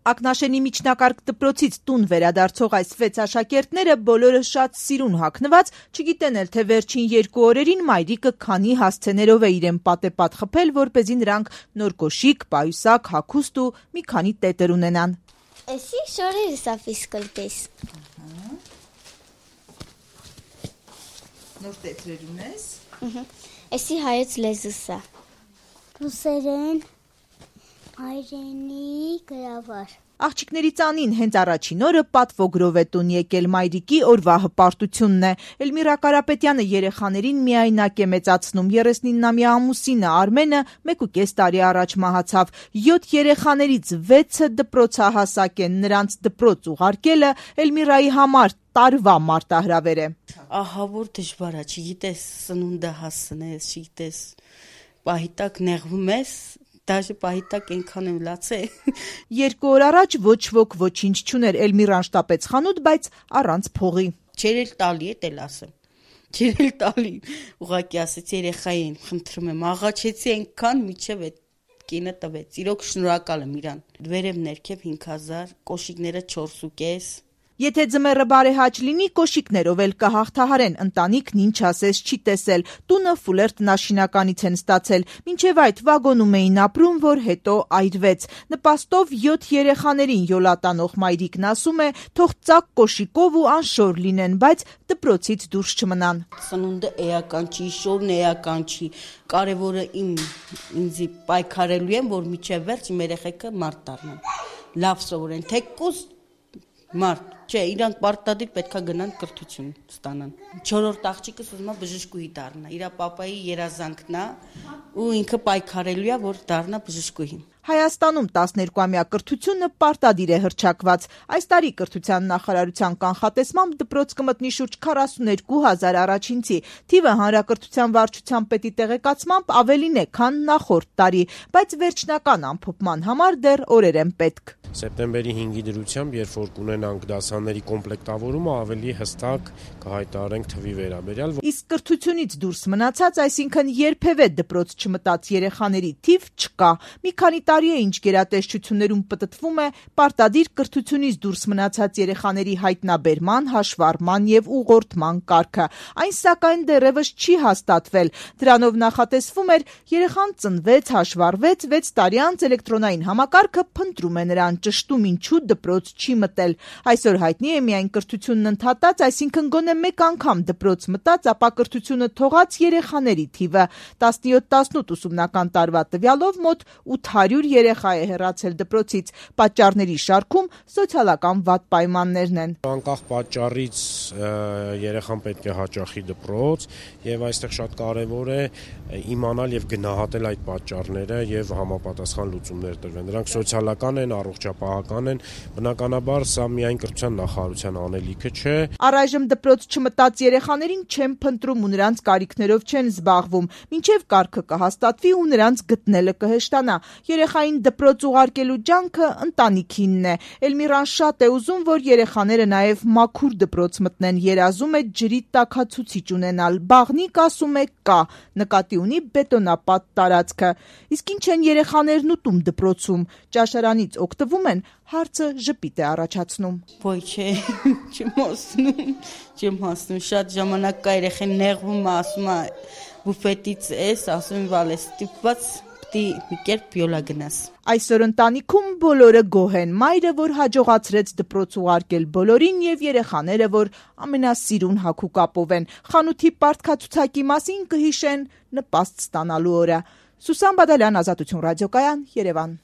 Ակնաշենի միջնակարգ դպրոցից տուն վերադարձող այս 6 աշակերտները բոլորը շատ սիրուն հագնված, չգիտեն էլ թե վերջին 2 օրերին մայրիկը քանի հասցեներով է իրեն պատեպատ խփել, որպեսզի նրանք նոր կոշիկ, պայուսակ, հագուստ ու մի քանի տետր ունենան։ Էսի շորերս է ֆիզկультես։ Նոր տետրեր ունես։ Էսի հայոց լեզուս է։ Ռուսերեն, հայրենի, գրավոր։ Աղջիկների ծանին հենց առաջին օրը պատվոգրով է տուն եկել, մայրիկի օրվա հպարտությունն է։ Էլմիրա Կարապետյանը երեխաներին միայնակ է մեծացնում, 39-ամյա ամուսինը Արմենը 1.5 տարի առաջ մահացավ, 7 երեխաներից 6-ը դպրոցահասակ են, նրանց դպրոց ուղարկելը Էլմիրայի համար տարվա մարտահրավեր է։ Ահա որ դժվար է, չգիտես սնունդը հասնես, չգիտես պահիտակ նեղվում ես, դաժե պահիտակ ենքան եմ լացե։ 2 օր առաջ ոչ ոք ոչինչ չուներ, Էլմիրան շտապեց խանութ, բայց առանց փողի։ Չեր էլ տալի, էլ ասեմ։ Չեր էլ տալի։ Ուղղակի ասեցի երեխային, խնդրում եմ, աղաչեցի այնքան միջև այդ կինը տվեց։ Իրոք շնորհակալ եմ իրան։ Վերև ներքև 5000, կոշիկները 4.5։ Եթե ձմեռը բարեհաճ լինի, կոշիկներով էլ կհաղթահարեն, ընտանիքն ինչ ասես չի տեսել, տունը ֆուլեր տնաշինականից են ստացել, մինչև այդ վագոնում էին ապրում, որ հետո այրվեց։ Նպաստով 7 երեխաներին յոլատանող մայրիկն ասում է, թող ծակ կոշիկով ու անշոր լինեն, բայց դպրոցից դուրս չմնան։ Սնունդը էական չի, շորն էական չի, կարևորը ինձի պայքարելու եմ, որ միջև վերջ իմ երեխեքը մարդ դառնան, լավ սովորեն, թեկուզ մարդ, չէ, իրանք պարտադիր պետքա գնան կրթություն ստանան։ 4-րդ աղջիկս ուզում է բժշկուհի դառնա, իրա պապայի երազանքն է ու ինքը պայքարելու է, որ դառնա բժշկուհի։ Հայաստանում 12-ամյա կրթությունը պարտադիր է հռչակված։ Այս տարի կրթության նախարարության կանխատեսմամբ դպրոց կմտնի շուրջ 42,000 առաջինցի։ Թիվը հանրակրթության վարչության պետի տեղեկացմամբ ավելին է, քան նախորդ տարի, բայց վերջնական ամփոփման համար դեռ օրեր են պետք։ Սեպտեմբերի 5-ի դրությամբ, երբ որ կունենանք դասաների կոմպլեկտավորումը, ավելի հստակ կհայտարարենք թվի վերաբերյալ։ Իսկ կրթությունից դուրս մնացած, այսինքն երբևէ դպրոց չմտած երեխաների թիվ չկա։ Մի քանի տարի է, ինչ գերատեսչություններում պտտվում է պարտադիր կրթությունից դուրս մնացած երեխաների հայտնաբերման, հաշվառման եւ ուղղորդման կարգը։ Այն սակայն դեռևս չի հաստատվել։ Դրանով նախատեսվում էր, երեխան ծնվեց, հաշվառվեց, 6 տարի անց էլեկտրոնային համակարգը փնտրում է նրան, ճշտում ինչու դպրոց չի մտել։ Այսօր հայտնի է միայն կրթությունն ընդհատած, այսինքն գոնե մեկ անգամ դպրոց մտած, ապա կրթությունը թողած երեխաների թիվը 17-18 ուսումնական տարվա տվյալով մոտ 800 երեխա է հեռացել դպրոցից։ Պատճառների շարքում սոցիալական վատ պայմաններն են։ Անկախ պատճառից երեխան պետք է հաճախի դպրոց եւ այստեղ շատ կարեւոր է իմանալ եւ գնահատել այդ պատճառները եւ համապատասխան լուծումներ տրվել։ Դրանք սոցիալական են, առողջապահական են, բնականաբար սա միայն կրթության նախարարության անելիքը չէ։ Առայժմ դպրոց չմտած երեխաներին չեն փնտրում ու նրանց կարիքներով չեն զբաղվում, մինչև կարգը կհաստատվի ու նրանց գտնելը կհեշտանա։ Երեխային դպրոց ուղարկելու ջանքը ընտանիքինն է։ Էլմիրան շատ է ուզում, որ երեխաները նաև մաքուր դպրոց մտնեն, երազում է ջրի տաքացուցիչ ունենալ, բաղնիկ ասում է կա, նկատի ունի բետոնապատ տարածքը։ Իսկ ինչ են երեխաներն ուտում դպրոցում, ճաշարանից օգտվում են, հարցը ժպիտ է առաջացնում։ Ոյ չէ, չեմ հասնում, շատ ժամանակ կա երեխեն նեղվում է, ասում է բուֆետից ես, ասում եմ վալ ես ստիպված մի կերպ յոլա գնաս։ Այսօր ընտանիքում բոլորը գոհ են, մայրը, որ հաջողացրեց դպրոց ուղարկել բոլորին եւ երեխաները, որ ամենասիրուն հագուկապով են, խանութի պարտքացուցակի մասին կհիշեն նպաստ ստանալու օրը։ Սուսան Բադալյան, Ազատություն ռադիոկայան, Երևան։